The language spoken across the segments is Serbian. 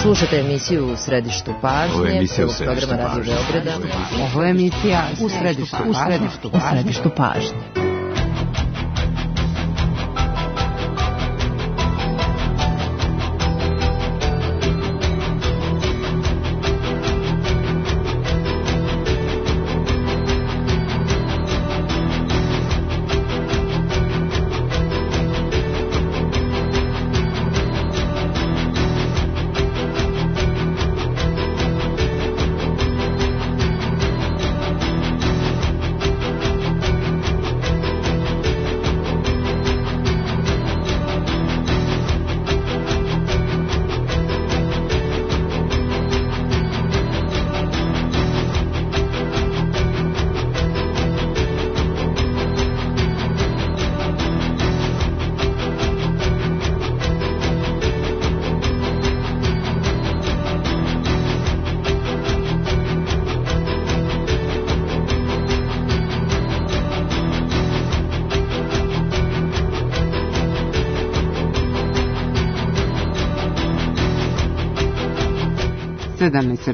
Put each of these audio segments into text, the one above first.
Slušate emisiju U središtu pažnje, programa Radio Beograda. Ovo je emisija U središtu pažnje.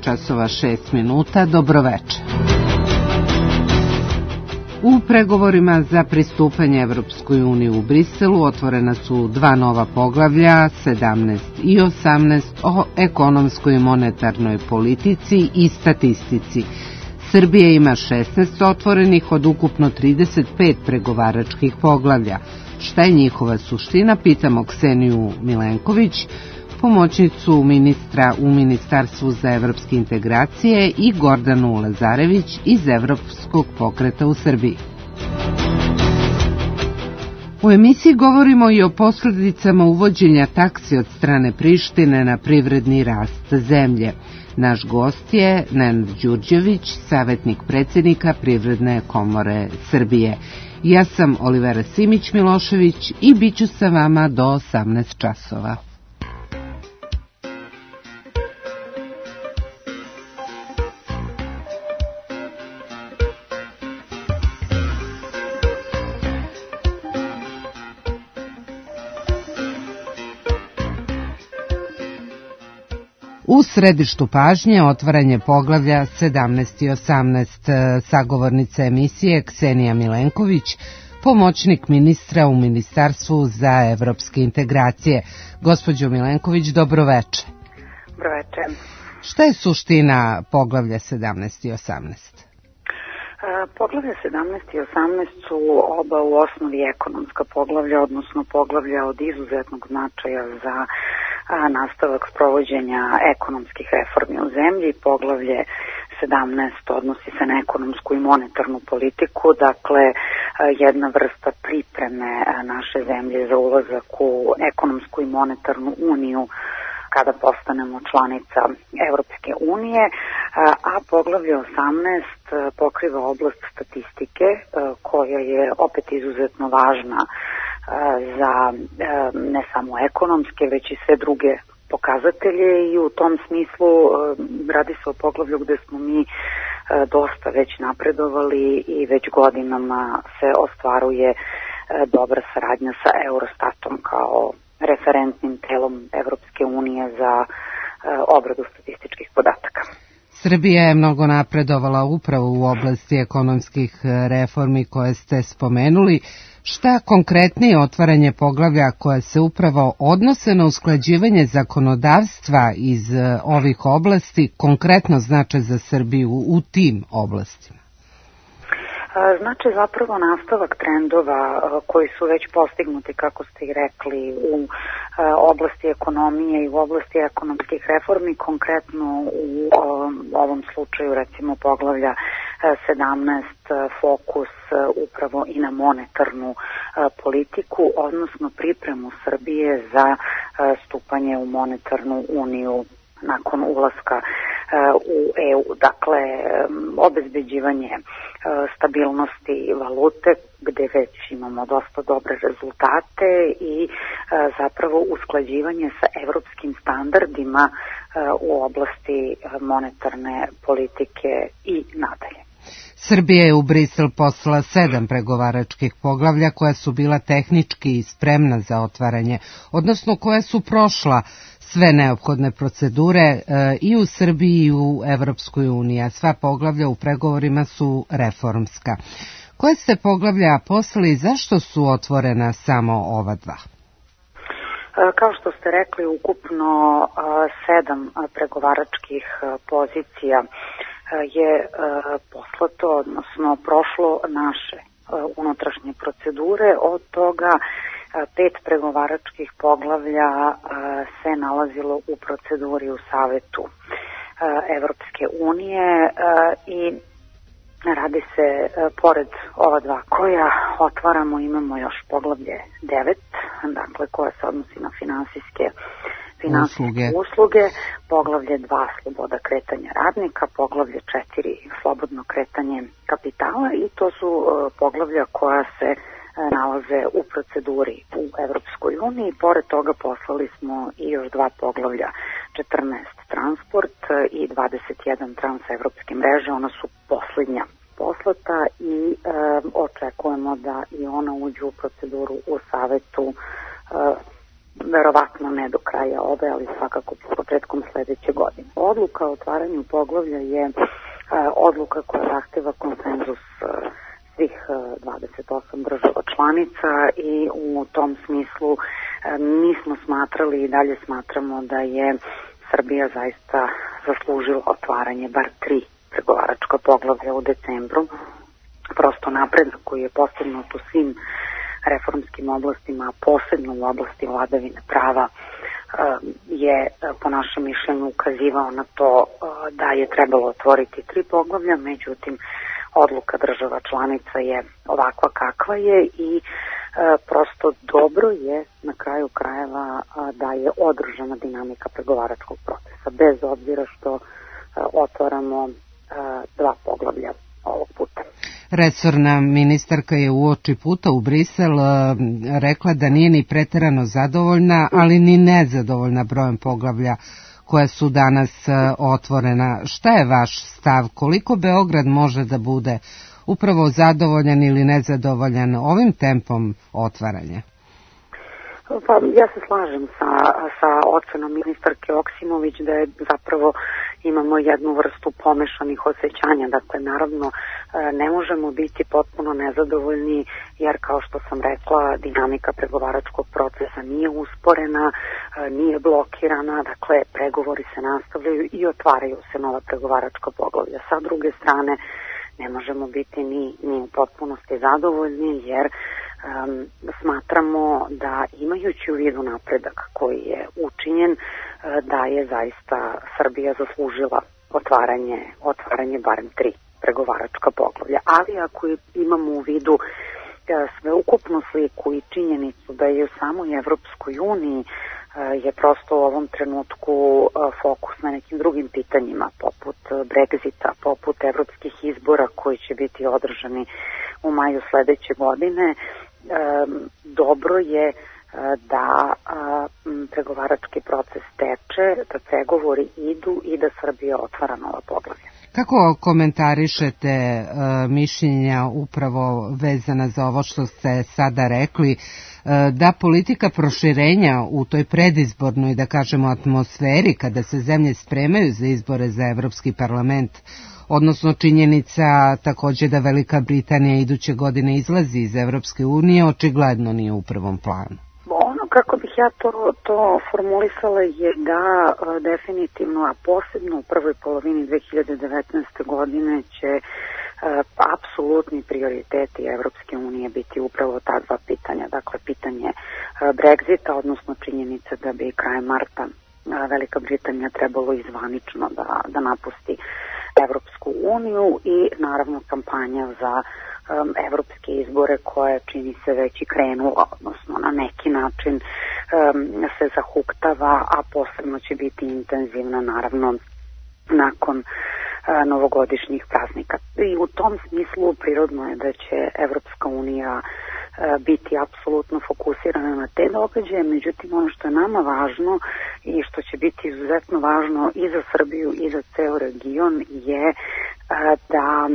Časova 6 minuta, dobroveče. U pregovorima za pristupanje Evropskoj uniji u Briselu otvorena su dva nova poglavlja, 17 i 18, o ekonomskoj i monetarnoj politici i statistici. Srbija ima 16 otvorenih od ukupno 35 pregovaračkih poglavlja. Šta je njihova suština, pitamo Kseniju Milenković, pomoćnicu ministra u Ministarstvu za evropske integracije, i Gordanu Lazarević iz Evropskog pokreta u Srbiji. U emisiji govorimo i o posljedicama uvođenja taksi od strane Prištine na privredni rast zemlje. Naš gost je Nenad Đurđević, savjetnik predsjednika Privredne komore Srbije. Ja sam Olivera Simić-Milošević i bit ću sa vama do 18 časova. U središtu pažnje otvaranje poglavlja 17 i 18, sagovornica emisije Ksenija Milenković, pomoćnik ministra u Ministarstvu za evropske integracije. Gospođo Milenković, dobroveče. Dobroveče. Šta je suština poglavlja 17 i 18? Poglavlja 17 i 18 su oba u osnovi ekonomska poglavlja, odnosno poglavlja od izuzetnog značaja za nastavak sprovođenja ekonomskih reformi u zemlji. Poglavlje 17 odnosi se na ekonomsku i monetarnu politiku, dakle jedna vrsta pripreme naše zemlje za ulazak u ekonomsku i monetarnu uniju kada postanemo članica Evropske unije, a poglavlje 18 pokriva oblast statistike koja je opet izuzetno važna za ne samo ekonomske, već i sve druge pokazatelje, i u tom smislu radi se o poglavlju gde smo mi dosta već napredovali i već godinama se ostvaruje dobra saradnja sa Eurostatom kao referentnim telom Evropske unije za obradu statističkih podataka. Srbija je mnogo napredovala upravo u oblasti ekonomskih reformi koje ste spomenuli. Šta konkretnije otvaranje poglavlja koje se upravo odnose na usklađivanje zakonodavstva iz ovih oblasti konkretno znače za Srbiju u tim oblastima? Znači zapravo nastavak trendova koji su već postignuti, kako ste i rekli, u oblasti ekonomije i u oblasti ekonomskih reformi, konkretno u ovom slučaju recimo poglavlja 17 fokus upravo i na monetarnu politiku, odnosno pripremu Srbije za stupanje u monetarnu uniju nakon ulaska u EU. Dakle, obezbeđivanje stabilnosti valute, gde već imamo dosta dobre rezultate, i zapravo usklađivanje sa evropskim standardima u oblasti monetarne politike i nadalje. Srbija je u Brisel poslala 7 pregovaračkih poglavlja koja su bila tehnički spremna za otvaranje, odnosno koja su prošla sve neophodne procedure i u Srbiji i u Evropskoj uniji, a sva poglavlja u pregovorima su reformska. Koje ste poglavlja poslali i zašto su otvorena samo ova dva? Kao što ste rekli, ukupno 7 pregovaračkih pozicija je poslato, odnosno prošlo naše unutrašnje procedure. Od toga 5 pregovaračkih poglavlja se nalazilo u proceduri u Savetu Evropske unije i radi se, pored ova dva koja otvaramo, imamo još poglavlje 9, dakle koja se odnosi na finansijske usluge, poglavlje 2 sloboda kretanja radnika, poglavlje 4 slobodno kretanje kapitala i to su poglavlja koja se nalaze u proceduri u Evropskoj uniji. Pored toga poslali smo i još 2 poglavlja, 14 transport i 21 transevropske mreže, ona su posljednja poslata i očekujemo da i ona uđu u proceduru u Savetu, verovatno ne do kraja ove, ali svakako početkom sledeće godine. Odluka o otvaranju poglavlja je odluka koja zahteva konsenzus svih 28 država članica i u tom smislu mi smo smatrali i dalje smatramo da je Srbija zaista zaslužila otvaranje bar 3 pregovaračka poglavlja u decembru. Prosto napredak koji je postignut u svim reformskim oblastima, posebno u oblasti vladavine prava, je po našem mišljenju ukazivao na to da je trebalo otvoriti 3 poglavlja, međutim odluka država članica je ovakva kakva je i prosto dobro je na kraju krajeva da je održana dinamika pregovaračkog procesa, bez obzira što otvaramo 2 poglavlja ovog puta. Resorna ministarka je uoči puta u Brisel rekla da nije ni preterano zadovoljna, ali ni nezadovoljna brojem poglavlja koja su danas otvorena. Šta je vaš stav? Koliko Beograd može da bude upravo zadovoljan ili nezadovoljan ovim tempom otvaranja? Pa, ja se slažem sa ocenom ministarke Oksimović da je zapravo imamo jednu vrstu pomešanih osjećanja. Dakle, naravno, ne možemo biti potpuno nezadovoljni jer, kao što sam rekla, dinamika pregovaračkog procesa nije usporena, nije blokirana, dakle, pregovori se nastavljaju i otvaraju se nova pregovaračka poglavlja. Sa druge strane, ne možemo biti ni u potpunosti zadovoljni jer smatramo da imajući u vidu napredak koji je učinjen, da je zaista Srbija zaslužila otvaranje barem 3 pregovaračka poglavlja. Ali ako imamo u vidu sveukupnu sliku i činjenicu da je u samoj Evropskoj uniji je prosto u ovom trenutku fokus na nekim drugim pitanjima, poput Brexita, poput evropskih izbora koji će biti održani u maju sledeće godine, dobro je da pregovarački proces teče, da pregovori idu i da Srbija otvara nova poglavlja. Kako komentarišete mišljenja upravo vezana za ovo što ste sada rekli, da politika proširenja u toj predizbornoj, da kažemo, atmosferi kada se zemlje spremaju za izbore za Evropski parlament, odnosno činjenica takođe da Velika Britanija iduće godine izlazi iz Evropske unije, očigledno nije u prvom planu? Ono kako bih ja to formulisala je da definitivno, a posebno u prvoj polovini 2019. godine će apsolutni prioriteti Evropske unije biti upravo ta 2 pitanja. Dakle, pitanje Brexita, odnosno činjenica da bi krajem marta Velika Britanija trebalo izvanično da napusti Evropsku uniju i naravno kampanja za evropske izbore koje čini se već i krenula, odnosno na neki način se zahuktava, a posebno će biti intenzivna naravno nakon novogodišnjih praznika. I u tom smislu prirodno je da će Evropska unija biti apsolutno fokusirana na te događaje, međutim ono što je nama važno i što će biti izuzetno važno i za Srbiju i za ceo region je da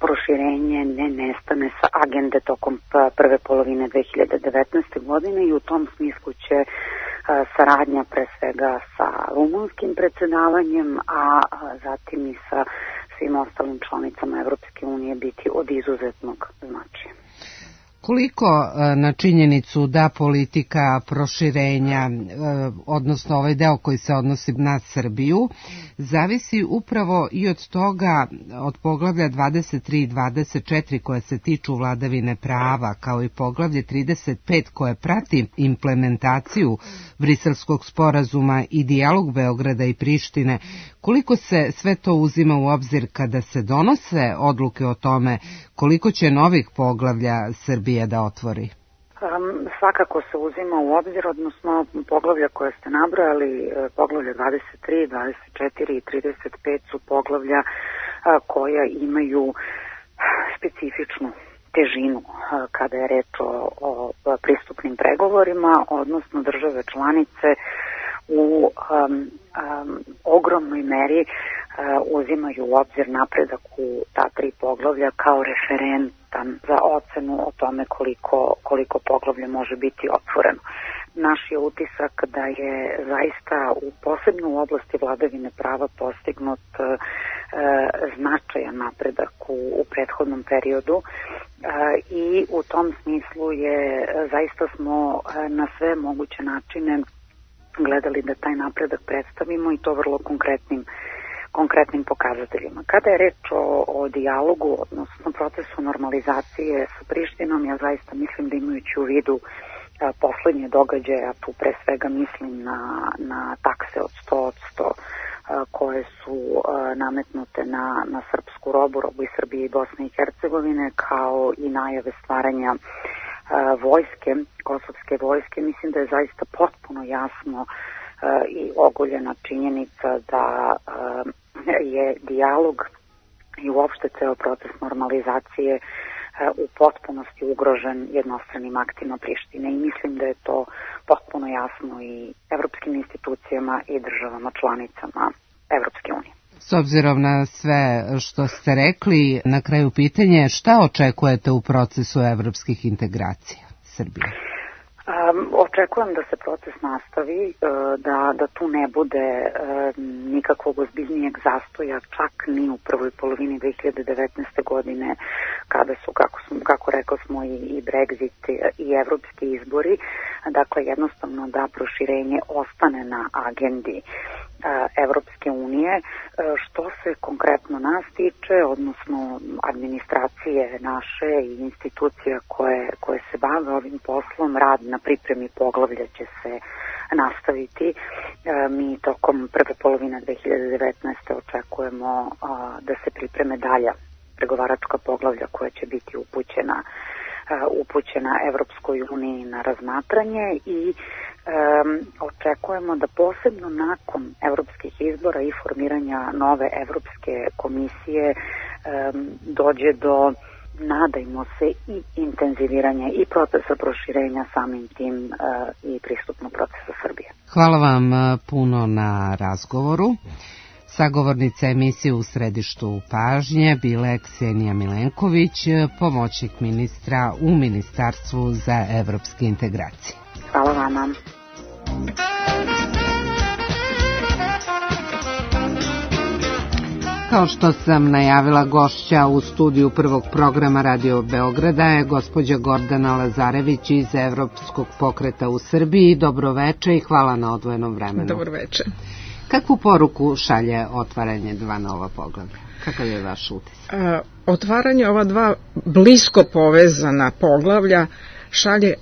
proširenje ne nestane sa agende tokom prve polovine 2019. godine i u tom smislu će saradnja pre svega sa rumunskim predsedavanjem, a zatim i sa svim ostalim članicama Evropske unije biti od izuzetnog značaja. Koliko na činjenicu da politika proširenja, odnosno ovaj deo koji se odnosi na Srbiju, zavisi upravo i od toga, od poglavlja 23 i 24 koje se tiču vladavine prava, kao i poglavlje 35 koje prati implementaciju Briselskog sporazuma i dijalog Beograda i Prištine, koliko se sve to uzima u obzir kada se donose odluke o tome koliko će novih poglavlja Srbije da otvori? Svakako se uzima u obzir, odnosno poglavlja koje ste nabrojali, poglavlja 23, 24 i 35 su poglavlja koja imaju specifičnu težinu kada je reč o pristupnim pregovorima, odnosno države članice u ogromnoj meri uzimaju u obzir napredak u ta tri poglavlja kao referentan za ocenu o tome koliko poglavlja može biti otvoreno. Naš je utisak da je zaista posebno u oblasti vladavine prava postignut značajan napredak u prethodnom periodu i u tom smislu zaista smo na sve moguće načine gledali da taj napredak predstavimo i to vrlo konkretnim pokazateljima. Kada je reč o dijalogu, odnosno procesu normalizacije sa Prištinom, ja zaista mislim da imajući u vidu poslednje događaje, a tu pre svega mislim na takse od 100% koje su nametnute na srpsku robu iz Srbije i Bosne i Hercegovine, kao i najave stvaranja vojske, kosovske vojske, mislim da je zaista potpuno jasno i ogoljena činjenica da je dijalog i uopšte ceo proces normalizacije u potpunosti ugrožen jednostranim aktima Prištine i mislim da je to potpuno jasno i evropskim institucijama i državama članicama Evropske unije. S obzirom na sve što ste rekli, na kraju pitanje, šta očekujete u procesu evropskih integracija Srbije? Očekujem da se proces nastavi, da tu ne bude nikakvog ozbiljnijeg zastoja, čak ni u prvoj polovini 2019. godine, kada su, kako rekao smo, i Brexit i evropski izbori. Dakle, jednostavno da proširenje ostane na agendi Evropske unije. Što se konkretno nas tiče, odnosno administracije naše i institucija koje se bave ovim poslom, rad na pripremi poglavlja će se nastaviti. Mi tokom prve polovine 2019. očekujemo da se pripreme dalja pregovaračka poglavlja koja će biti upućena Evropskoj uniji na razmatranje i očekujemo da posebno nakon evropskih izbora i formiranja nove Evropske komisije dođe do, nadajmo se, i intenziviranja i procesa proširenja, samim tim i pristupnog procesa Srbije. Hvala vam puno na razgovoru. Sagovornica emisije U središtu pažnje bila je Ksenija Milenković, pomoćnik ministra u Ministarstvu za evropske integracije. Hvala vama. Kao što sam najavila, gošća u studiju prvog programa Radio Beograda je gospođa Gordana Lazarević iz Evropskog pokreta u Srbiji. Dobroveče i hvala na odvojenom vremenu. Dobroveče. Kakvu poruku šalje otvaranje dva nova poglavlja? Kakav je vaš utisak? Otvaranje ova dva blisko povezana poglavlja šalje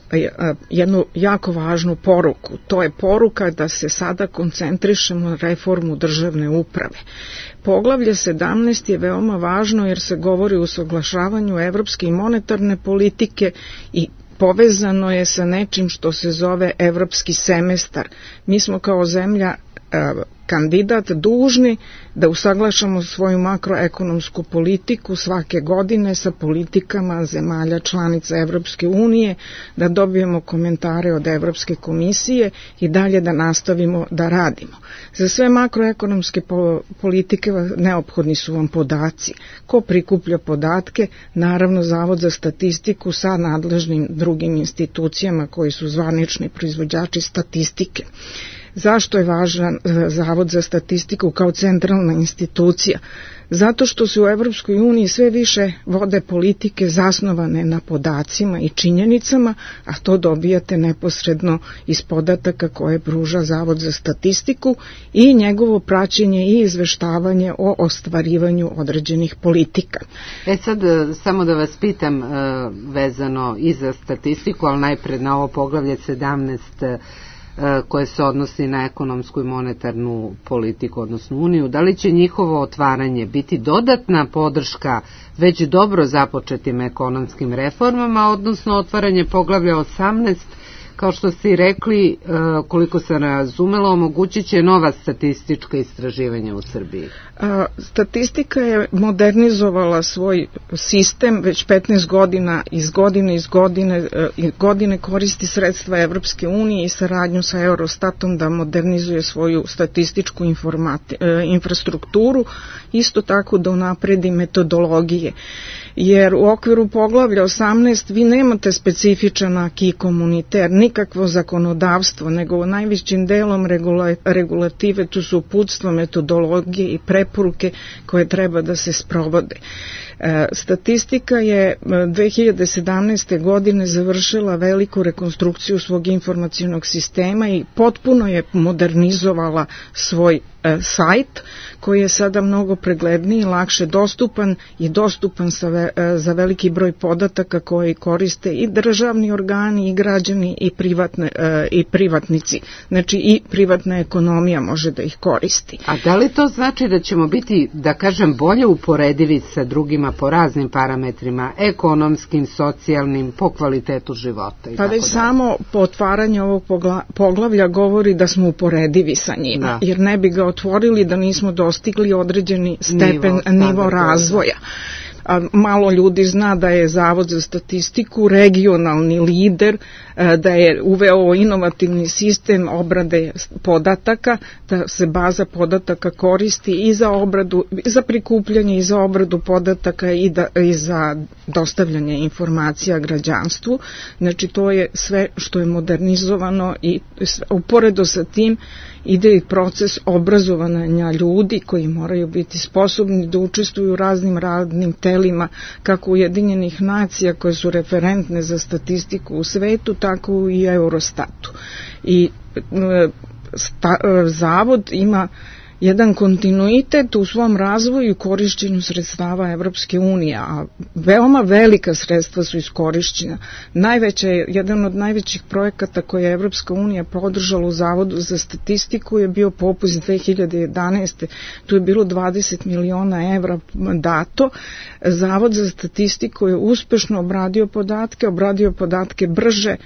jednu jako važnu poruku. To je poruka da se sada koncentrišemo na reformu državne uprave. Poglavlje 17 je veoma važno jer se govori o usaglašavanju evropske i monetarne politike i povezano je sa nečim što se zove evropski semestar. Mi smo kao zemlja kandidat dužni da usaglašamo svoju makroekonomsku politiku svake godine sa politikama zemalja članica Evropske unije, da dobijemo komentare od Evropske komisije i dalje da nastavimo da radimo. Za sve makroekonomske politike neophodni su vam podaci. Ko prikuplja podatke? Naravno Zavod za statistiku sa nadležnim drugim institucijama koji su zvanični proizvođači statistike. Zašto je važan Zavod za statistiku kao centralna institucija? Zato što se u Evropskoj uniji sve više vode politike zasnovane na podacima i činjenicama, a to dobijate neposredno iz podataka koje pruža Zavod za statistiku i njegovo praćenje i izveštavanje o ostvarivanju određenih politika. Sad samo da vas pitam vezano i za statistiku, ali najpred na ovo poglavlje 17 koje se odnosi na ekonomsku i monetarnu politiku, odnosno Uniju, da li će njihovo otvaranje biti dodatna podrška već dobro započetim ekonomskim reformama, odnosno otvaranje poglavlja 18, kao što ste i rekli, koliko sam razumela, omogućit će nova statistička istraživanja u Srbiji. Statistika je modernizovala svoj sistem već 15 godina, iz godine koristi sredstva Evropske unije i saradnju sa Eurostatom da modernizuje svoju statističku infrastrukturu, isto tako da unapredi metodologije. Jer u okviru poglavlja 18 vi nemate specifičan aki komuniter, nikakvo zakonodavstvo, nego najvećim delom regulative tu su uputstva, metodologije i preporuke koje treba da se sprovode. Statistika je 2017. godine završila veliku rekonstrukciju svog informacionog sistema i potpuno je modernizovala svoj sajt koji je sada mnogo pregledniji, lakše dostupan i dostupan za veliki broj podataka koji koriste i državni organi i građani i privatnici. Znači i privatna ekonomija može da ih koristi. A da li to znači da ćemo biti, da kažem, bolje uporedivi sa drugima po raznim parametrima, ekonomskim, socijalnim, po kvalitetu života? Pa već samo po otvaranju ovog poglavlja govori da smo uporedivi sa njima, jer ne bi ga otvorili da nismo dostigli određeni stepen nivo razvoja. Malo ljudi zna da je Zavod za statistiku regionalni lider, da je uveo inovativni sistem obrade podataka, da se baza podataka koristi i za obradu, za prikupljanje i za obradu podataka i za dostavljanje informacija građanstvu. Znači to je sve što je modernizovano i uporedo sa tim ide i proces obrazovanja ljudi koji moraju biti sposobni da učestvuju u raznim radnim telima, kako Ujedinjenih nacija koje su referentne za statistiku u svetu, tako i Eurostatu. I Zavod ima jedan kontinuitet u svom razvoju i korišćenju sredstava Evropske unije, a veoma velika sredstva su iskorišćena. Jedan od najvećih projekata koje je Evropska unija podržala u Zavodu za statistiku je bio Popus 2011. Tu je bilo 20 miliona evra dato. Zavod za statistiku je uspešno obradio podatke brže,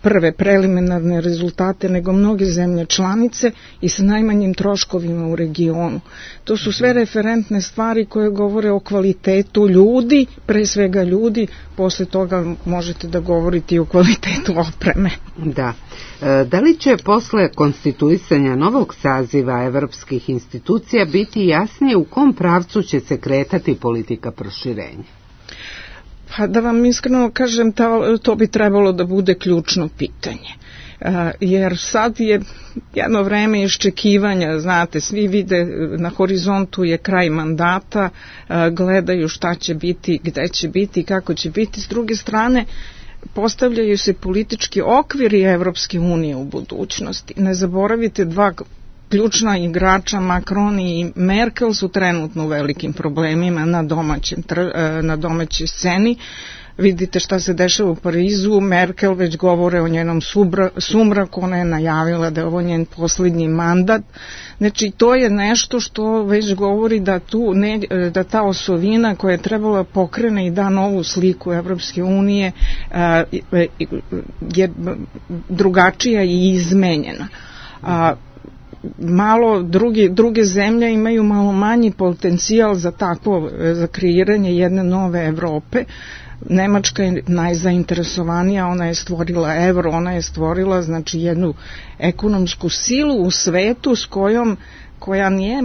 prve preliminarne rezultate nego mnoge zemlje članice i sa najmanjim troškovima u regionu. To su sve referentne stvari koje govore o kvalitetu ljudi, pre svega ljudi, posle toga možete da govorite i o kvalitetu opreme. Da. Da li će posle konstituisanja novog saziva evropskih institucija biti jasnije u kom pravcu će se kretati politika proširenja? Pa da vam iskreno kažem, to bi trebalo da bude ključno pitanje. Jer sad je jedno vreme iščekivanja, znate, svi vide na horizontu je kraj mandata, gledaju šta će biti, gde će biti, kako će biti. S druge strane, postavljaju se politički okviri Evropske unije u budućnosti. Ne zaboravite, dva ključna igrača, Macron i Merkel, su trenutno u velikim problemima na domaćoj sceni. Vidite šta se dešava u Parizu, Merkel već govore o njenom sumraku, ona je najavila da je ovo njen posljednji mandat. Znači to je nešto što već govori da ta osovina koja je trebala pokrene i da novu sliku Evropske unije je drugačija i izmenjena. malo druge zemlje imaju malo manji potencijal za takvo, za kreiranje jedne nove Evrope. Nemačka je najzainteresovanija, ona je stvorila evro, ona je stvorila znači jednu ekonomsku silu u svetu s koja nije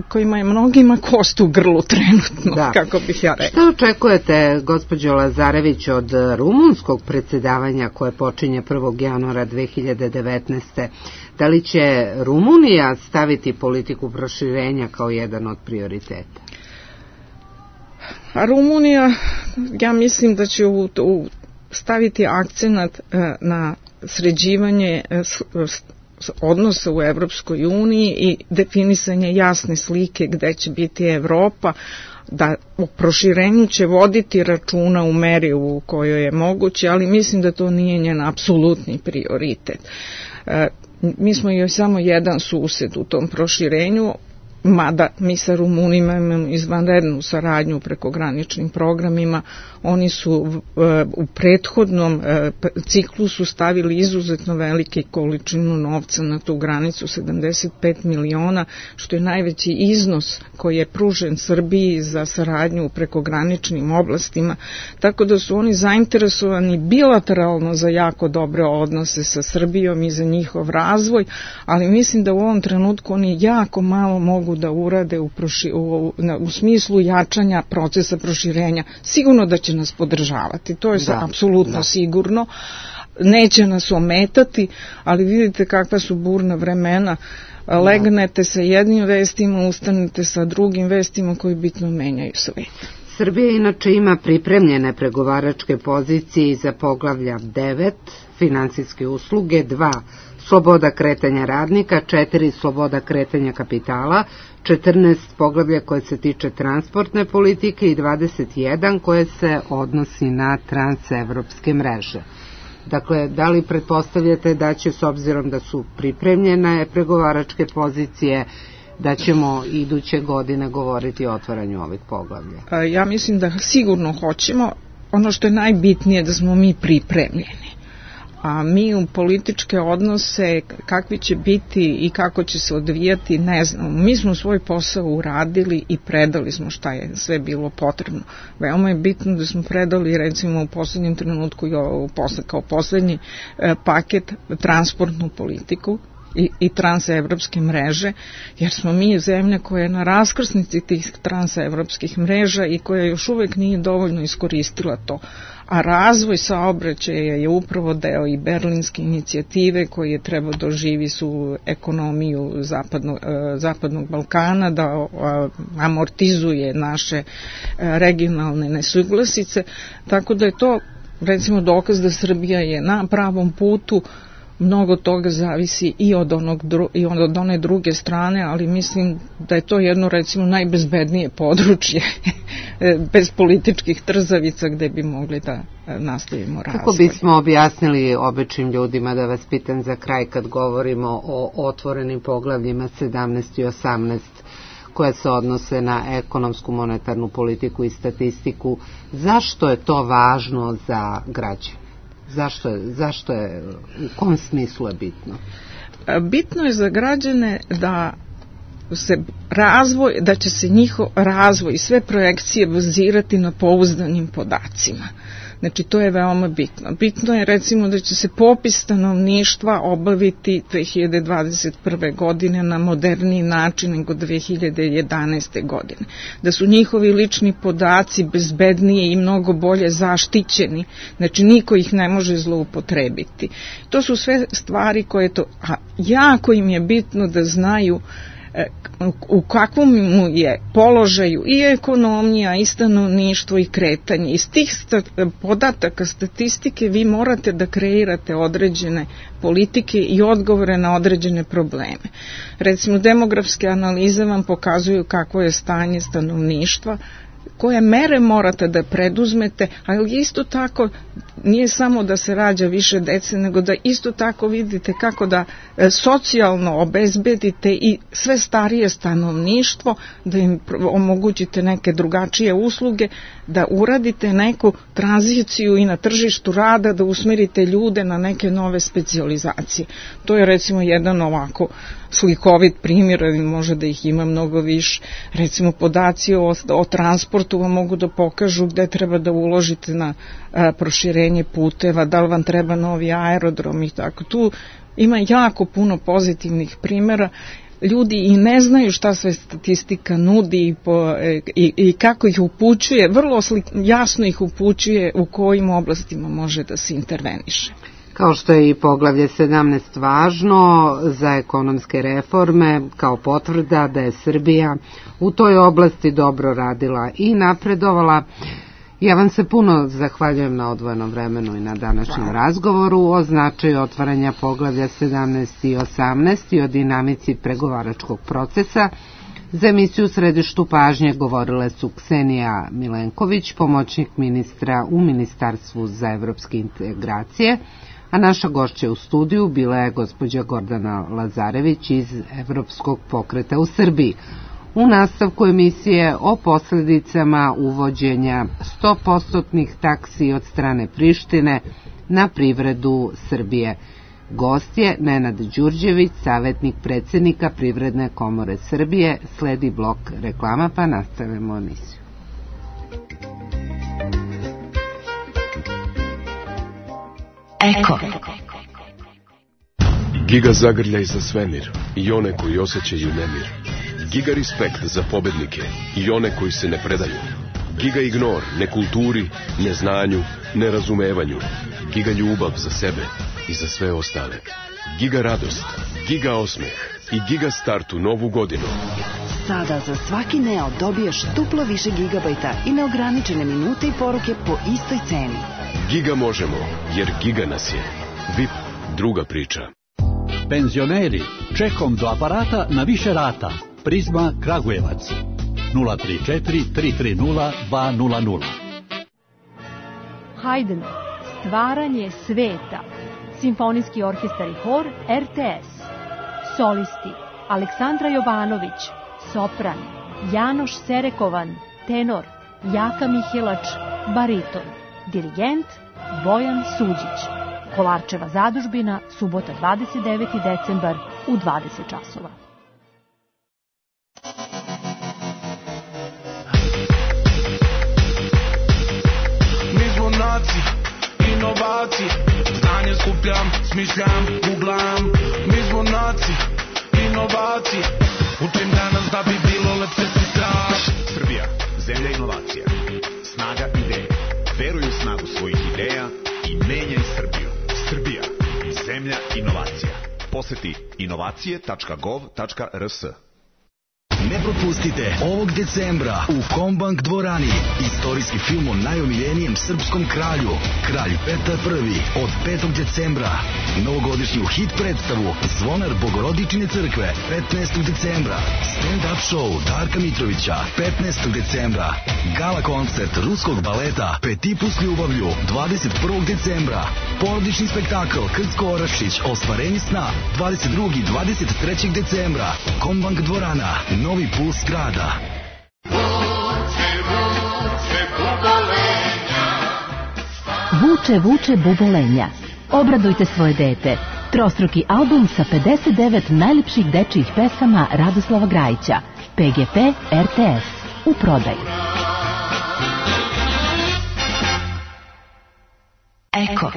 kojima je mnogima kost u grlu trenutno, kako bih ja rekla. Šta očekujete, gospođo Lazarević, od rumunskog predsjedavanja koje počinje 1. januara 2019. Da li će Rumunija staviti politiku proširenja kao jedan od prioriteta? A Rumunija, ja mislim da će staviti akcenat na sređivanje odnosa u Evropskoj uniji i definisanje jasne slike gde će biti Evropa, da o proširenju će voditi računa u meri u kojoj je moguće, ali mislim da to nije njen apsolutni prioritet. Mi smo joj samo jedan sused u tom proširenju, mada mi sa Rumunima imamo izvanrednu saradnju preko graničnim programima. Oni su u prethodnom ciklusu stavili izuzetno velike količinu novca na tu granicu, 75 miliona, što je najveći iznos koji je pružen Srbiji za saradnju preko graničnim oblastima, tako da su oni zainteresovani bilateralno za jako dobre odnose sa Srbijom i za njihov razvoj, ali mislim da u ovom trenutku oni jako malo mogu da urade u smislu jačanja procesa proširenja. Sigurno da će nas podržavati, to je apsolutno sigurno, neće nas ometati, ali vidite kakva su burna vremena, legnete sa jednim vestima, ustanete sa drugim vestima koji bitno menjaju svet. Srbija inače ima pripremljene pregovaračke pozicije za poglavlja 9, finansijske usluge, 2, sloboda kretanja radnika, 4, sloboda kretanja kapitala, 14 poglavlja koje se tiče transportne politike i 21 koje se odnosi na transevropske mreže. Dakle, da li pretpostavljate da će, s obzirom da su pripremljene pregovaračke pozicije, da ćemo iduće godine govoriti o otvaranju ovih poglavlja? Ja mislim da sigurno hoćemo. Ono što je najbitnije da smo mi pripremljeni. A mi u političke odnose, kakvi će biti i kako će se odvijati, ne znamo. Mi smo svoj posao uradili i predali smo šta je sve bilo potrebno. Veoma je bitno da smo predali, recimo u poslednjem trenutku kao poslednji paket transportnu politiku i transevropske mreže, jer smo mi zemlja koja je na raskrsnici tih transevropskih mreža i koja još uvek nije dovoljno iskoristila to. A razvoj saobraćaja je upravo deo i berlinske inicijative koji je trebao da oživi su ekonomiju zapadnog Balkana, da amortizuje naše regionalne nesuglasice, tako da je to recimo dokaz da Srbija je na pravom putu. Mnogo toga zavisi i od one druge strane, ali mislim da je to jedno recimo najbezbednije područje bez političkih trzavica gde bi mogli da nastavimo razvoj. Kako bismo objasnili običnim ljudima, da vas pitam za kraj, kad govorimo o otvorenim poglavljima 17 i 18 koje se odnose na ekonomsku, monetarnu politiku i statistiku, zašto je to važno za građane? Zašto je, u kom smislu je bitno? Bitno je za građane da će se njihov razvoj i sve projekcije bazirati na pouzdanim podacima. Znači, to je veoma bitno. Bitno je recimo da će se popis stanovništva obaviti 2021. godine na moderniji način nego 2011. godine. Da su njihovi lični podaci bezbednije i mnogo bolje zaštićeni. Znači, niko ih ne može zloupotrebiti. To su sve stvari a jako im je bitno da znaju u kakvom mu je položaju i ekonomija i stanovništvo i kretanje. Iz tih podataka statistike vi morate da kreirate određene politike i odgovore na određene probleme. Recimo, demografske analize vam pokazuju kakvo je stanje stanovništva, koje mere morate da preduzmete, ali isto tako nije samo da se rađa više dece, nego da isto tako vidite kako da socijalno obezbedite i sve starije stanovništvo, da im omogućite neke drugačije usluge, da uradite neku tranziciju i na tržištu rada, da usmerite ljude na neke nove specijalizacije. To je recimo jedan ovako slikovit primjer, može da ih ima mnogo više. Recimo podaci o transportu vam mogu da pokažu gde treba da uložite na proširenje puteva, da li vam treba novi aerodrom i tako. Tu ima jako puno pozitivnih primjera. Ljudi i ne znaju šta sve statistika nudi i kako ih upućuje, vrlo jasno ih upućuje u kojim oblastima može da se interveniše. Kao što je i poglavlje 17 važno za ekonomske reforme, kao potvrda da je Srbija u toj oblasti dobro radila i napredovala. Ja vam se puno zahvaljujem na odvojenom vremenu i na današnjem razgovoru o značaju otvaranja poglavlja 17 i 18 i o dinamici pregovaračkog procesa. Za emisiju Središtu pažnje govorile su Ksenija Milenković, pomoćnik ministra u Ministarstvu za evropske integracije, a naša gošća u studiju bila je gospođa Gordana Lazarević iz Evropskog pokreta u Srbiji. U nastavku emisije o posljedicama uvođenja 100% taksi od strane Prištine na privredu Srbije. Gost je Nenad Đurđević, savjetnik predsjednika Privredne komore Srbije. Sledi blok reklama, pa nastavimo emisiju. Eko. Giga zagrljaj za svemir i one koji osjećaju nemir. Giga respekt za pobednike i one koji se ne predaju. Giga ignor nekulturi, neznanju, nerazumevanju. Giga ljubav za sebe i za sve ostale. Giga radost, giga osmeh i giga start u novu godinu. Sada za svaki Neo dobiješ duplo više gigabajta i neograničene minute i poruke po istoj ceni. Giga možemo, jer giga nas je. VIP, druga priča. Penzioneri, čekom do aparata na više rata. Prizma Kragujevac 034 330 200. Haydn, stvaranje sveta. Simfonijski orkestar i hor RTS. Solisti Aleksandra Jovanović, sopran, Janoš Serekovan, tenor, Jaka Mihelač, bariton, dirigent Bojan Suđić. Kolarčeva zadužbina, subota 29. decembar u 20 časova. Inovacije, znanje skupljam, smišljam, googlam. Mi smo naci, inovacije. Učim danas da bi bilo lepše sutra. Srbija, zemlja inovacija. Snaga ideje. Veruj u snagu svojih ideja i menjaj Srbiju. Srbija, zemlja inovacija. Poseti inovacije.gov.rs. Ne propustite ovog decembra u Kombank dvorani istorijski film o najomiljenijem srpskom kralju, Kralj Petar I, od 5. decembra. Novogodišnju hit predstavu Zvonar Bogorodičine crkve 15. decembra. Stand-up show Darka Mitrovića 15. decembra. Gala koncert ruskog baleta Petit s ljubavlju 21. decembra. Porodični spektakl Krcko Orašić Ostvarenje sna 22. i 23. decembra. Kombank dvorana, novi puls grada. Vuče, vuče bubolenja. Obradujte svoje dete. Trostruki album sa 59 najljepših dečijih pesama Radoslava Grajića. PGP RTS. U prodaju. Eko.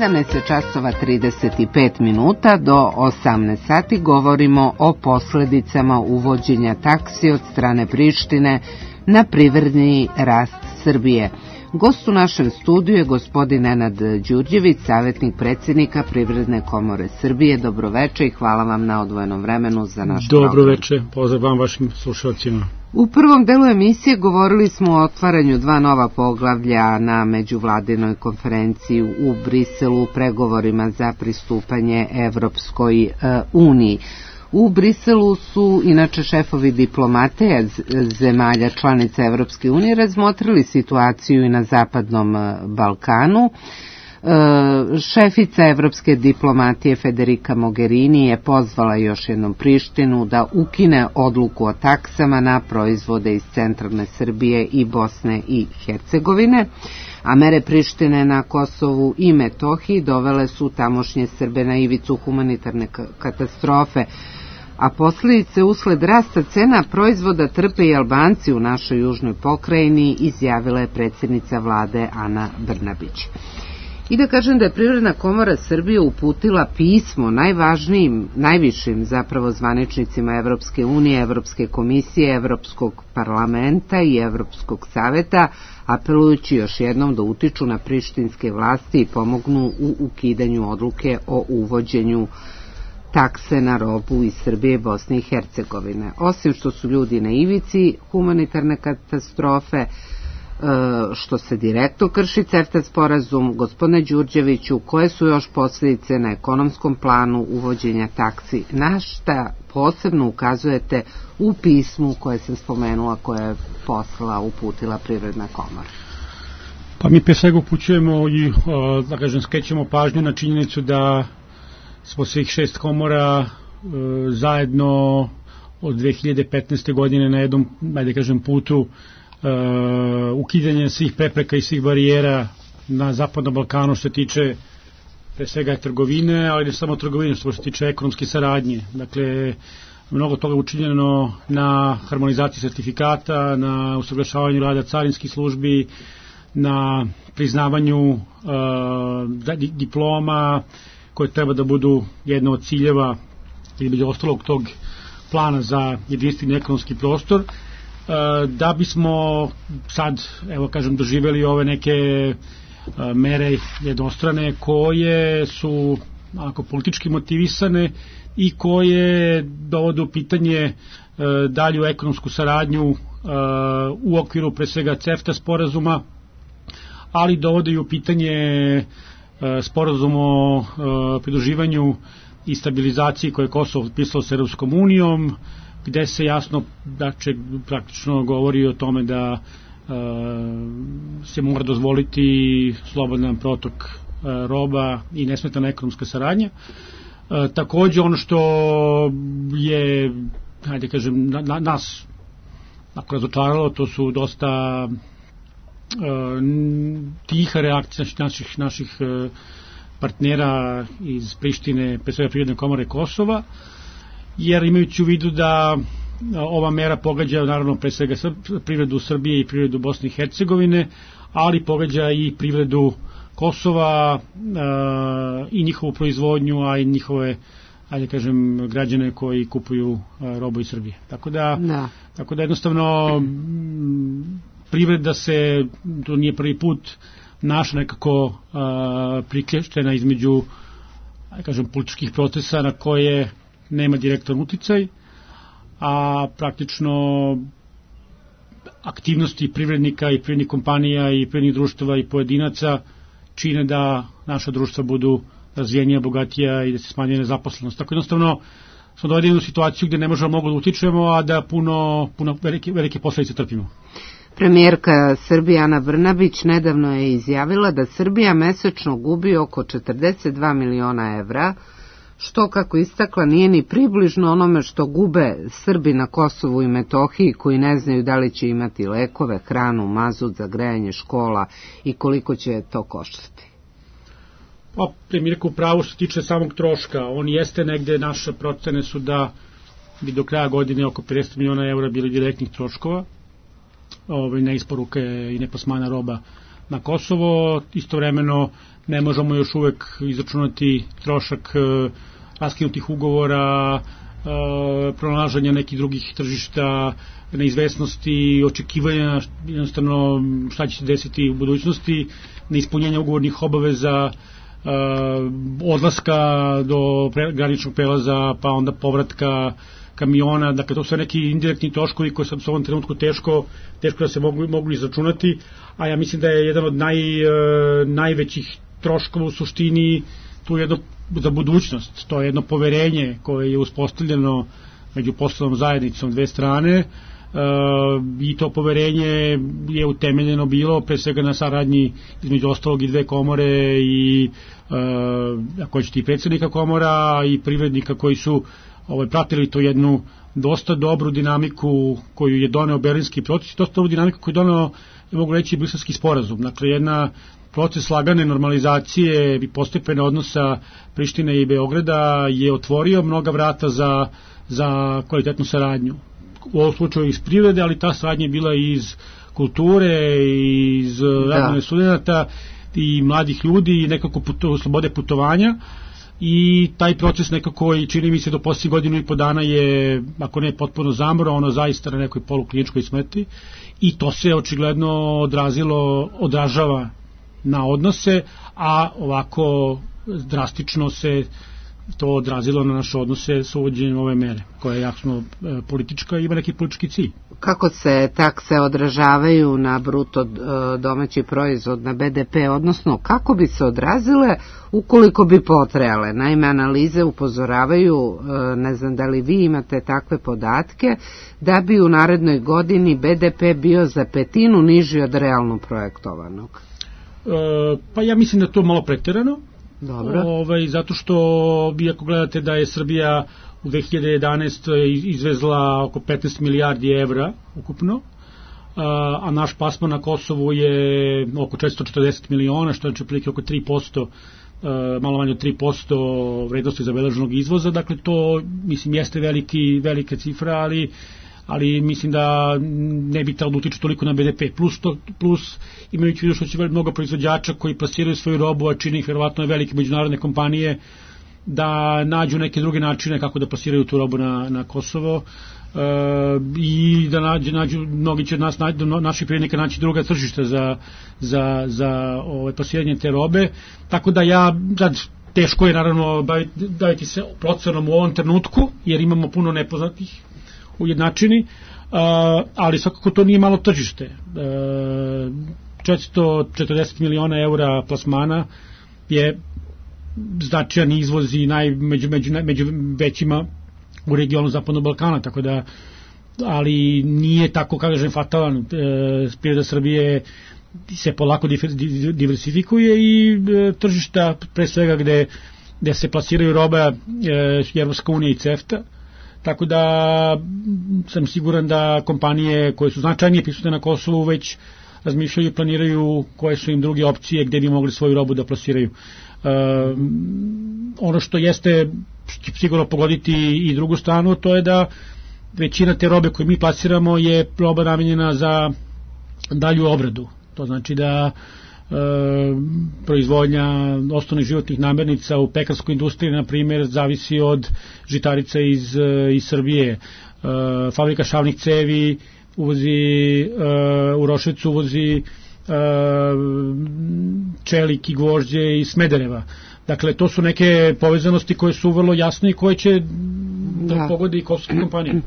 17 časova 35 minuta do 18 sati govorimo o posledicama uvođenja taksi od strane Prištine na privredni rast Srbije. Gost u našem studiju je gospodin Nenad Đurđević, savjetnik predsjednika Privredne komore Srbije. Dobroveče i hvala vam na odvojenom vremenu za naš program. Dobroveče, pozdrav vam vašim slušalcima. U prvom delu emisije govorili smo o otvaranju 2 nova poglavlja na međuvladinoj konferenciji u Briselu u pregovorima za pristupanje Evropskoj uniji. U Briselu su inače šefovi diplomate zemalja članica Evropske unije razmotrili situaciju i na Zapadnom Balkanu. Šefica evropske diplomatije Federica Mogherini je pozvala još jednom Prištinu da ukine odluku o taksama na proizvode iz centralne Srbije i Bosne i Hercegovine, a mere Prištine na Kosovu i Metohiji dovele su tamošnje Srbe na ivicu humanitarne katastrofe, a posljedice usled rasta cena proizvoda trpe i Albanci u našoj južnoj pokrajini, izjavila je predsjednica vlade Ana Brnabić. I da kažem da je Privredna komora Srbije uputila pismo najvišim zapravo zvaničnicima Evropske unije, Evropske komisije, Evropskog parlamenta i Evropskog saveta, apelujući još jednom da utiču na prištinske vlasti i pomognu u ukidanju odluke o uvođenju takse na robu iz Srbije i Bosne i Hercegovine. Osim što su ljudi na ivici humanitarne katastrofe, što se direktno krši CEFTA sporazum, gospodine Đurđeviću, koje su još posljedice na ekonomskom planu uvođenja taksi, na šta posebno ukazujete u pismu koje sam spomenula, koje je uputila Privredna komora? Pa mi pre svega upućujemo i, da kažem, skrećemo pažnju na činjenicu da smo svih 6 komora zajedno od 2015. godine na jednom, da kažem, putu ukidanje svih prepreka i svih barijera na Zapadnom Balkanu što se tiče pre svega trgovine, ali ne samo trgovine, što se tiče ekonomske saradnje. Dakle, mnogo toga učinjeno na harmonizaciji sertifikata, na usaglašavanju rada carinskih službi, na priznavanju diploma koje treba da budu jedna od ciljeva između ostalog tog plana za jedinstveni ekonomski prostor, da bismo sad, evo kažem, doživjeli ove neke mere jednostrane koje su ako politički motivisane i koje dovode u pitanje dalju ekonomsku saradnju u okviru pre svega CEFTA sporazuma, ali dovode i u pitanje sporazum o pridruživanju i stabilizaciji koje je Kosovo potpisalo sa Europskom unijom, gde se jasno, dakle, praktično govori o tome da se mora dozvoliti slobodan protok roba i nesmetana ekonomska saradnja. Takođe, ono što je, hajde kažem, nas razočaralo, to su dosta tiha reakcija naših partnera iz Prištine, pre svega Privredne komore Kosova, jer imajući u vidu da ova mera pogađa naravno pre svega privredu Srbije i privredu Bosne i Hercegovine, ali pogađa i privredu Kosova i njihovu proizvodnju, a i njihove, ajde kažem, građane koji kupuju robu iz Srbije. Tako da jednostavno privreda se, to nije prvi put, naša nekako priklješćena između, ajde kažem, političkih procesa na koje nema direktan uticaj, a praktično aktivnosti privrednika i privrednih kompanija i privrednih društava i pojedinaca čine da naša društva budu razvijenija, bogatija i da se smanjuje nezaposlenost. Tako jednostavno smo dovedeni u situaciju gde ne možemo mnogo da utičemo, a da puno velike posljedice trpimo. Premijerka Srbije Ana Brnabić nedavno je izjavila da Srbija mesečno gubi oko 42 miliona evra, što, kako istakla, nije ni približno onome što gube Srbi na Kosovu i Metohiji, koji ne znaju da li će imati lekove, hranu, mazut za grejanje škola i koliko će to koštati. Pa, premijerka u pravu što se tiče samog troška. On jeste negde, naše procene su da bi do kraja godine oko 50 miliona evra bili direktnih troškova, neisporuke i neplasmana roba na Kosovo, istovremeno ne možemo još uvek izračunati trošak raskinutih ugovora, pronalaženja nekih drugih tržišta, neizvesnosti, očekivanja jednostavno šta će se desiti u budućnosti, neispunjenja ugovornih obaveza, odlaska do graničnog prelaza, pa onda povratka kamiona, dakle to su neki indirektni troškovi koji su u ovom trenutku teško da se mogu izračunati, a ja mislim da je jedan od najvećih troškova u suštini tu jedno za budućnost, to je jedno poverenje koje je uspostavljeno među poslovnom zajednicom dve strane, i to poverenje je utemeljeno bilo pre svega na saradnji između ostalog i dve komore i ako hoćete i predsednika komora i privrednika koji su pratili to jednu dosta dobru dinamiku koju je doneo Berlinski proces, dosta dobru dinamiku koju je doneo, mogu reći, Briselski sporazum. Dakle, jedna proces lagane normalizacije i postepene odnosa Prištine i Beograda je otvorio mnoga vrata za kvalitetnu saradnju. U ovom slučaju iz privrede, ali ta saradnja je bila iz kulture, iz razmene studenata i mladih ljudi i nekako slobode putovanja, i taj proces nekako, čini mi se, do posljednjih godinu i po dana je, ako ne potpuno zamro, ono zaista na nekoj polukliničkoj smrti, i to se očigledno odražava na odnose, a ovako drastično se to odrazilo na naše odnose sa uvođenjem ove mere, koja je jasno politička i ima neki politički cilj. Kako se takse odražavaju na bruto domaći proizvod, na BDP, odnosno kako bi se odrazile ukoliko bi potrajale? Naime, analize upozoravaju, ne znam da li vi imate takve podatke, da bi u narednoj godini BDP bio za petinu niži od realno projektovanog. Pa ja mislim da je to malo preterano. Dobro. Zato što vi ako gledate da je Srbija u 2011. izvezla oko 15 milijardi evra ukupno, a naš plasman na Kosovu je oko 440 miliona, što je prilike oko 3%, malo manje od 3% vrednosti zabeleženog izvoza. Dakle, to mislim jeste velika cifra, ali mislim da ne bi trebalo da utiče toliko na BDP. Plus imajući vidu što će mnogo proizvođača koji plasiraju svoju robu, a čini ih verovatno velike međunarodne kompanije, da nađu neke druge načine kako da plasiraju tu robu na Kosovo, i da nađu, mnogi će naših privrednika naći druga tržišta za plasiranje te robe, tako da teško je naravno baviti se procenom u ovom trenutku, jer imamo puno nepoznatih ujednačeni, ali svakako to nije malo tržište. 440 miliona eura plasmana je značajan izvoz i među većima u regionu Zapadnog Balkana, tako da, ali nije tako, kažem, fatalan. Privreda Srbije se polako diversifikuje i tržišta, pre svega gde se plasiraju roba, Evropska unija i CEFTA, tako da sam siguran da kompanije koje su značajnije prisutne na Kosovu već razmišljaju i planiraju koje su im druge opcije gde bi mogli svoju robu da plasiraju. Ono što jeste sigurno pogoditi i drugu stranu, to je da većina te robe koju mi plasiramo je roba namenjena za dalju obradu. To znači da proizvodnja osnovnih životnih namirnica u pekarskoj industriji, na primjer, zavisi od žitarica iz Srbije. Fabrika šavnih cevi u Roševcu uvozi čelik i gvožđe iz Smedereva. Dakle, to su neke povezanosti koje su vrlo jasne i koje će da pogode i kosovske kompanije.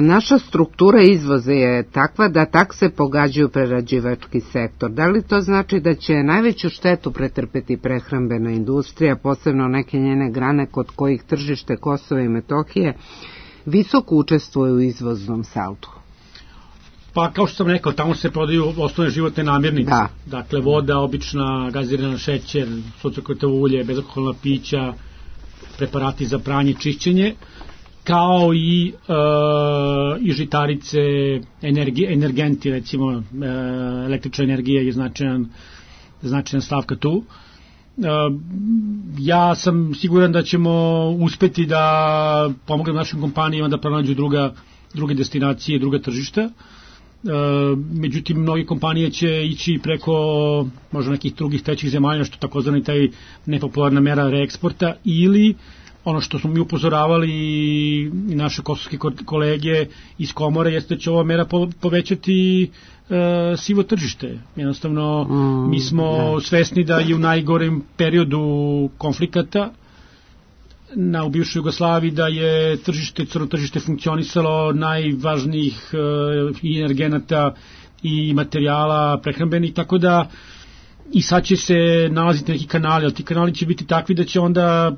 Naša struktura izvoza je takva da takse pogađaju prerađivački sektor. Da li to znači da će najveću štetu pretrpeti prehrambena industrija, posebno neke njene grane kod kojih tržište Kosova i Metohije visoko učestvuje u izvoznom saldu? Pa kao što sam rekao, tamo se prodaju osnovne životne namirnice. Dakle, voda, obična, gazirana šećer, suncokretovo ulje, bezalkoholna pića, preparati za pranje, čišćenje, kao i žitarice, energenti, recimo električna energija je značajan stavka tu. Ja sam siguran da ćemo uspeti da pomognemo našim kompanijama da pronađu druge destinacije, druga tržišta. međutim mnogi kompanije će ići preko možda nekih drugih trećih zemalja, što takozvani taj nepopularna mera reeksporta, ili ono što smo mi upozoravali i naše kosovske kolege iz komore jeste da će ova mera povećati sivo tržište. Jednostavno, mi smo svesni da je u najgorem periodu konflikata u bivšoj Jugoslaviji da je crno tržište funkcionisalo najvažnijih i energenata i materijala prehrambenih, tako da i sad će se nalaziti neki kanali, ali ti kanali će biti takvi da će onda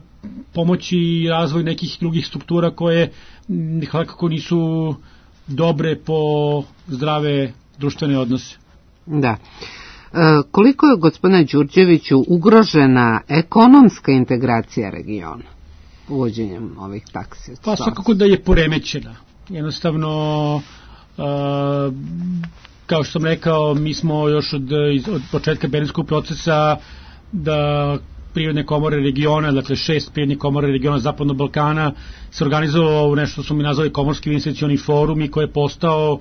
pomoći razvoj nekih drugih struktura koje nekako nisu dobre po zdrave društvene odnose. Da. Koliko je, gospodine Đurđeviću, ugrožena ekonomska integracija regiona uvođenjem ovih taksi? Pa svakako da je poremećena. Jednostavno, kao što sam rekao, mi smo još od početka Berlinskog procesa da privredne komore regiona, dakle 6 privrednih komore regiona Zapadnog Balkana se organizovalo nešto što smo mi nazvali Komorski investicioni forum i koji je postao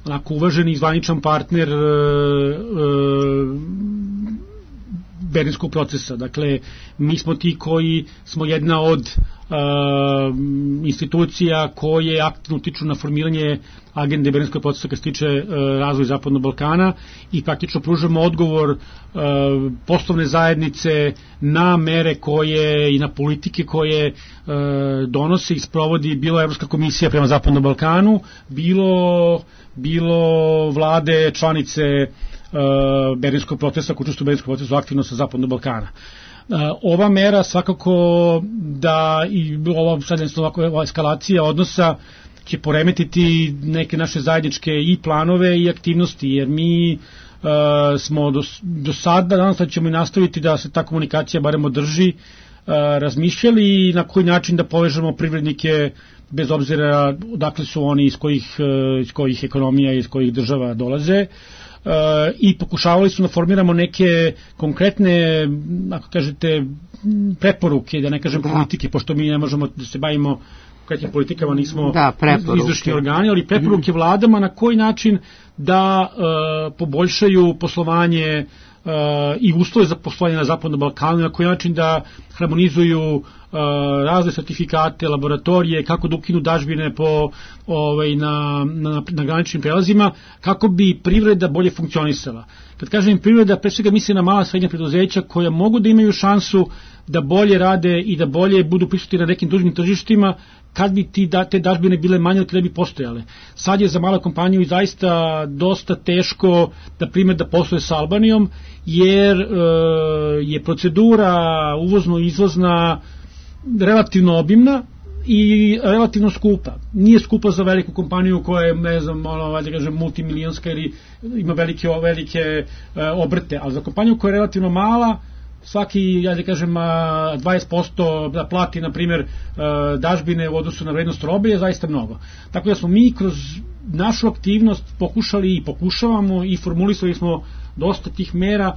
onako uvaženi i zvaničan partner Berlinskog procesa. Dakle, mi smo ti koji smo jedna od institucija koje aktivno utiču na formiranje agende Berlinskog procesa kad se tiče razvoja Zapadnog Balkana i praktično pružamo odgovor poslovne zajednice na mere koje i na politike koje donose i sprovodi bilo Evropska komisija prema Zapadnom Balkanu, bilo vlade članice Berlinskog procesa, koji učestvuju u Berlinskom procesu aktivno sa Zapadnog Balkana. Ova mera svakako da i ova eskalacija odnosa će poremetiti neke naše zajedničke i planove i aktivnosti, jer mi smo do sada, danas ćemo i nastaviti da se ta komunikacija barem održi, razmišljali na koji način da povežemo privrednike bez obzira odakle su oni, iz kojih ekonomija i iz kojih država dolaze, i pokušavali su da formiramo neke konkretne, ako kažete, preporuke, da ne kažem politike, pošto mi ne možemo da se bavimo konkretnim politikama, nismo izvršni organi, ali preporuke vladama na koji način da poboljšaju poslovanje i uslove za poslovanje na Zapadnom Balkanu, na koji način da harmonizuju razne sertifikate, laboratorije, kako da ukinu dažbine na graničnim prelazima, kako bi privreda bolje funkcionisala. Kad kažem privreda, pre svega misli na mala srednja preduzeća koja mogu da imaju šansu da bolje rade i da bolje budu prisutni na nekim drugim tržištima, kad bi te dažbine bile manje ili kada bi postojale. Sad je za malu kompaniju i zaista dosta teško da posluje sa Albanijom, jer je procedura uvozno-izvozna relativno obimna i relativno skupa. Nije skupa za veliku kompaniju koja je, ne znam, da kažem, multimilijonska ili ima velike obrte, ali za kompaniju koja je relativno mala, svaki, da kažem, 20% da plati, na primjer, dažbine u odnosu na vrednost robe je zaista mnogo. Tako da smo mi kroz našu aktivnost pokušali i pokušavamo i formulisali smo dosta tih mera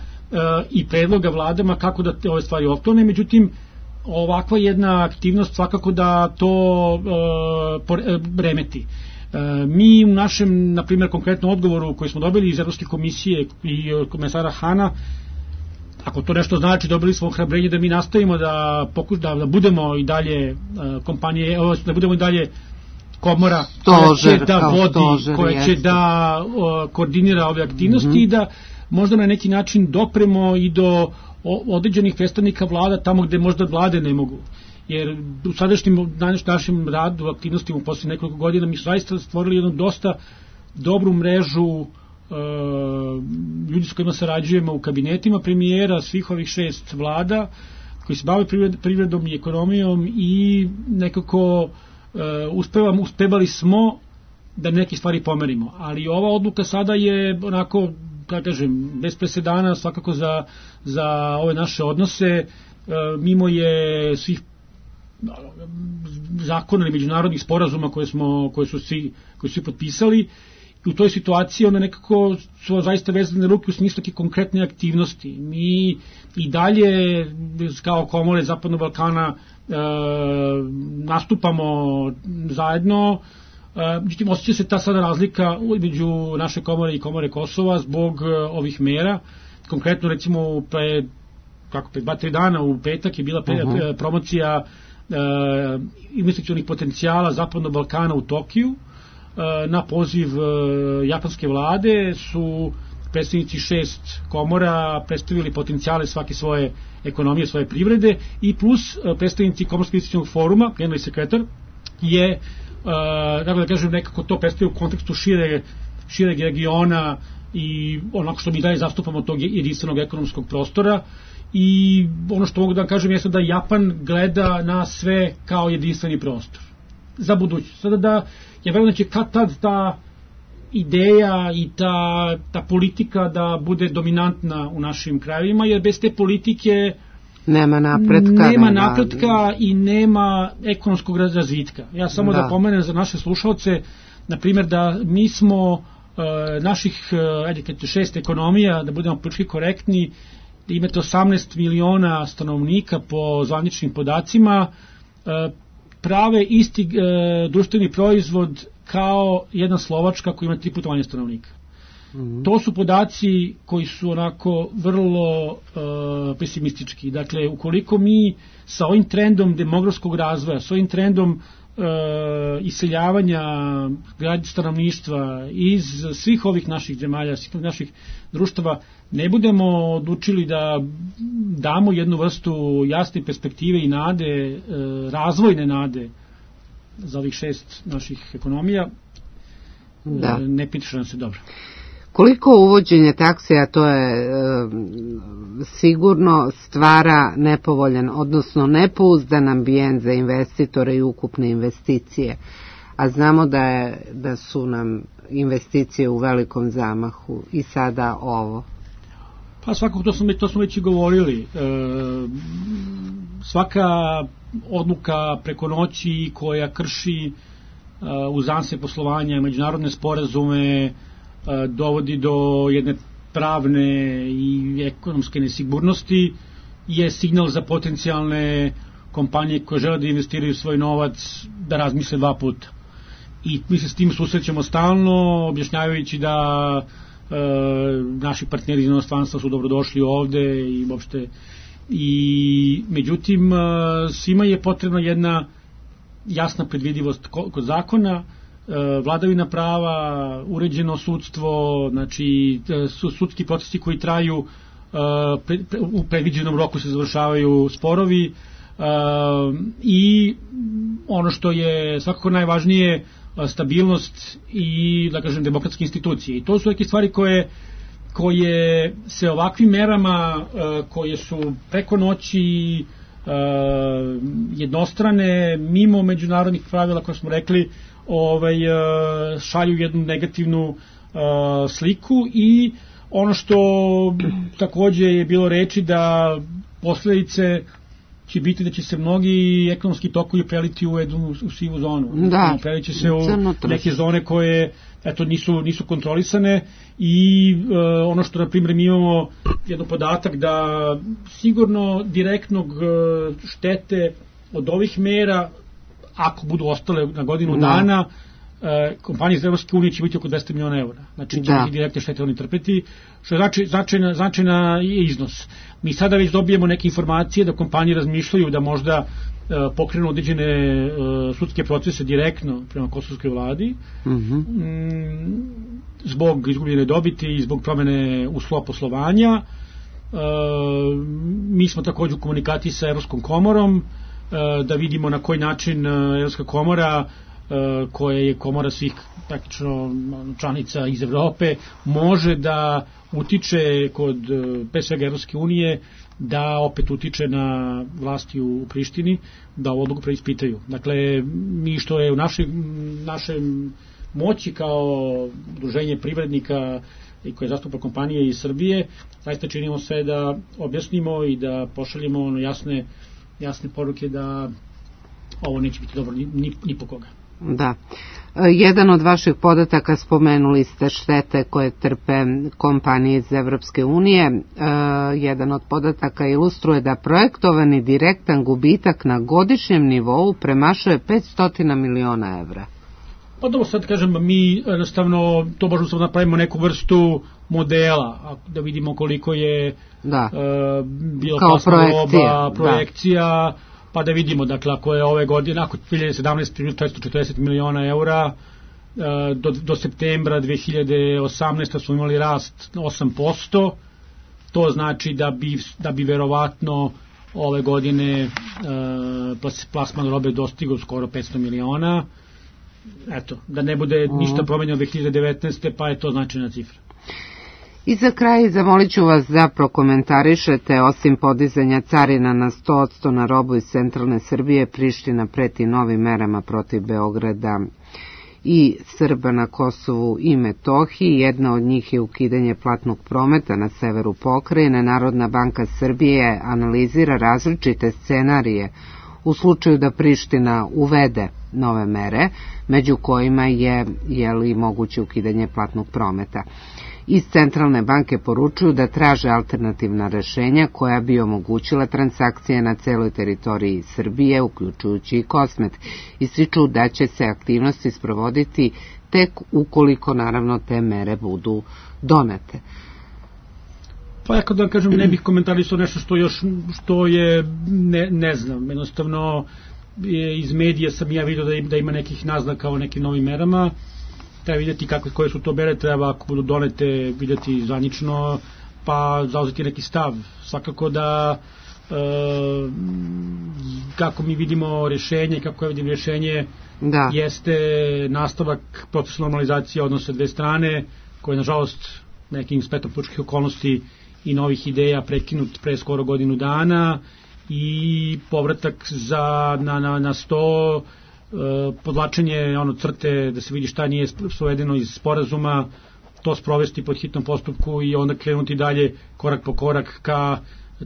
i predloga vladama kako da ove stvari otklone, međutim, ovakva jedna aktivnost svakako da to remeti. Mi u našem, na primjer, konkretnom odgovoru koji smo dobili iz Evropske komisije i od komesara Hana, ako to nešto znači, dobili smo ohrabrenje da mi nastavimo da budemo i dalje kompanije, da budemo i dalje komora koja će da koordinira ove aktivnosti i da možda na neki način dopremo i do određenih predstavnika vlada tamo gde možda vlade ne mogu. Jer u sadašnjim našem radu, aktivnostima u posljednjih nekoliko godina mi su zaista stvorili jednu dosta dobru mrežu ljudi s kojima sarađujemo u kabinetima premijera svih ovih 6 vlada koji se bave privredom i ekonomijom i nekako uspevali smo da neke stvari pomerimo. Ali ova odluka sada je onako, da kažem, bez presedana svakako za ove naše odnose, mimo je svih zakona i međunarodnih sporazuma koje su svi potpisali. U toj situaciji onda nekako su zaista vezane ruke u smislu neke konkretne aktivnosti. Mi i dalje kao komore Zapadnog Balkana nastupamo zajedno, Međutim, osjeća se ta sada razlika između naše komore i komore Kosova zbog ovih mera. Konkretno, recimo, pre 2-3 dana u petak je bila promocija investicionih potencijala Zapadnog Balkana u Tokiju. Na poziv japanske vlade su predstavnici 6 komora predstavili potencijale svake svoje ekonomije, svoje privrede, i plus predstavnici Komorskog investicionog foruma, generalni sekretar, je, kako da kažem, nekako to predstavio u kontekstu šireg regiona i onako što mi dalje zastupamo tog jedinstvenog ekonomskog prostora. I ono što mogu da kažem jeste da Japan gleda na sve kao jedinstveni prostor za budućnost. Sada da, ja verujem da će kad tad ta ideja i ta politika da bude dominantna u našim krajevima, jer bez te politike nema napretka i nema ekonomskog razvitka. Ja samo da pomenem za naše slušalce, na primjer, da mi smo naših 6 ekonomija, da budemo politički korektni, da imate 18 miliona stanovnika po zvaničnim podacima, prave isti društveni proizvod kao jedna Slovačka koja ima 3 puta manje stanovnika. To su podaci koji su onako vrlo pesimistički. Dakle, ukoliko mi sa ovim trendom demografskog razvoja, sa ovim trendom iseljavanja stanovništva iz svih ovih naših zemalja, svih naših društava, ne budemo odlučili da damo jednu vrstu jasne perspektive i nade, razvojne nade za ovih 6 naših ekonomija, ne piše nam se dobro. Koliko uvođenje taksija, to je sigurno stvara nepovoljan, odnosno nepouzdan ambijent za investitore i ukupne investicije, a znamo da su nam investicije u velikom zamahu i sada ovo. Pa svakako to smo već i govorili. Svaka odluka preko noći koja krši uzance poslovanja, međunarodne sporazume, dovodi do jedne pravne i ekonomske nesigurnosti, je signal za potencijalne kompanije koje žele da investiraju svoj novac da razmisle 2 puta. I mi se s tim susrećemo stalno, objašnjavajući da naši partneri iz inostranstva su dobrodošli ovde i uopšte. I međutim, svima je potrebna jedna jasna predvidivost kod zakona, vladavina prava, uređeno sudstvo, znači sudski procesi koji traju, u predviđenom roku se završavaju sporovi, i ono što je svakako najvažnije, stabilnost i, da kažem, demokratske institucije. I to su neke stvari koje se ovakvim merama, koje su preko noći jednostrane, mimo međunarodnih pravila koje smo rekli, šalju jednu negativnu sliku. I ono što takođe je bilo reči, da posledice će biti da će se mnogi ekonomski tokovi preliti u jednu sivu zonu. Prelit će se u neke zone koje nisu kontrolisane. I ono što, na primjer, mi imamo jedan podatak da sigurno direktnog štete od ovih mera, ako budu ostale na godinu dana, kompanije iz Evropske unije će biti oko 200 miliona eura. Znači, će biti direktne štete oni trpeti, što je značajna iznos. Mi sada već dobijemo neke informacije da kompanije razmišljaju da možda pokrenu određene sudske procese direktno prema kosovskoj vladi, zbog izgubljene dobiti i zbog promene uslova poslovanja. Mi smo takođe u komunikaciji sa Evropskom komorom, da vidimo na koji način Evropska komora, koja je komora svih praktično članica iz Evrope, može da utiče kod pre svega Evropske unije, da opet utiče na vlasti u Prištini, da ovu odluku preispitaju. Dakle, mi što je u našem moći kao udruženje privrednika i koje zastupa kompanije iz Srbije, zaista činimo sve da objasnimo i da pošaljemo jasne poruke da ovo neće biti dobro ni po koga. Da. Jedan od vaših podataka, spomenuli ste štete koje trpe kompanije iz Evropske unije. Jedan od podataka ilustruje da projektovani direktan gubitak na godišnjem nivou premašuje 500 miliona evra. Pa dobro, sad kažem, mi jednostavno to možemo samo napravimo neku vrstu modela, da vidimo koliko je bilo plasma roba, projekcija, pa da vidimo, dakle, ako je ove godine, ako 2017 440 miliona eura, do septembra 2018 smo imali rast 8%, to znači da bi verovatno ove godine plasman robe dostigao skoro 500 miliona. Eto, da ne bude ništa promenjeno 2019. pa je to značajna cifra. I za kraj zamolit ću vas da prokomentarišete, osim podizanja carina na 100% na robu iz centralne Srbije, Priština preti novim merama protiv Beograda i Srba na Kosovu i Metohiji. Jedna od njih je ukidanje platnog prometa na severu pokrajine. Narodna banka Srbije analizira različite scenarije u slučaju da Priština uvede nove mere, među kojima je moguće ukidanje platnog prometa. Iz Centralne banke poručuju da traže alternativna rešenja koja bi omogućila transakcije na celoj teritoriji Srbije, uključujući i Kosmet. Ističu da će se aktivnosti sprovoditi tek ukoliko, naravno, te mere budu donete. Pa ja kad da kažem, ne bih komentarisao nešto što je, ne znam, jednostavno iz medija sam ja vidio da ima nekih naznaka o nekim novim merama. Treba vidjeti koje su to mere, treba ako budu donete vidjeti zvanično, pa zauzeti neki stav. Svakako da kako mi vidimo rješenje, kako ja vidim rješenje, jeste nastavak procesa normalizacije odnosa dve strane, koje nažalost nekim spletom političkih okolnosti i novih ideja prekinut pre skoro godinu dana, i povratak na sto, podlačenje crte da se vidi šta nije sprovedeno iz sporazuma, to sprovesti pod hitnom postupku i onda krenuti dalje korak po korak ka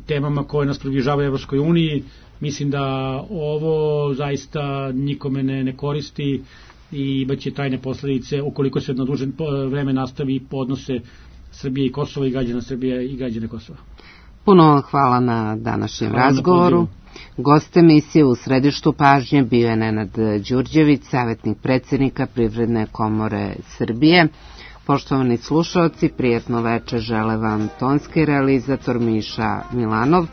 temama koje nas približavaju Evropskoj uniji. Mislim da ovo zaista nikome ne koristi i imaće trajne posledice ukoliko se na duže vreme nastavi odnose Srbije i Kosova i građana Srbije i građane Kosova. Puno hvala na današnjem razgovoru. Gost emisije u središtu pažnje bio je Nenad Đurđević, savjetnik predsjednika Privredne komore Srbije. Poštovani slušaoci, prijetno večer žele vam tonski realizator Miša Milanov,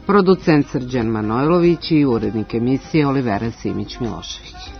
producent Srđan Manojlović i urednik emisije Olivera Simić-Milošević.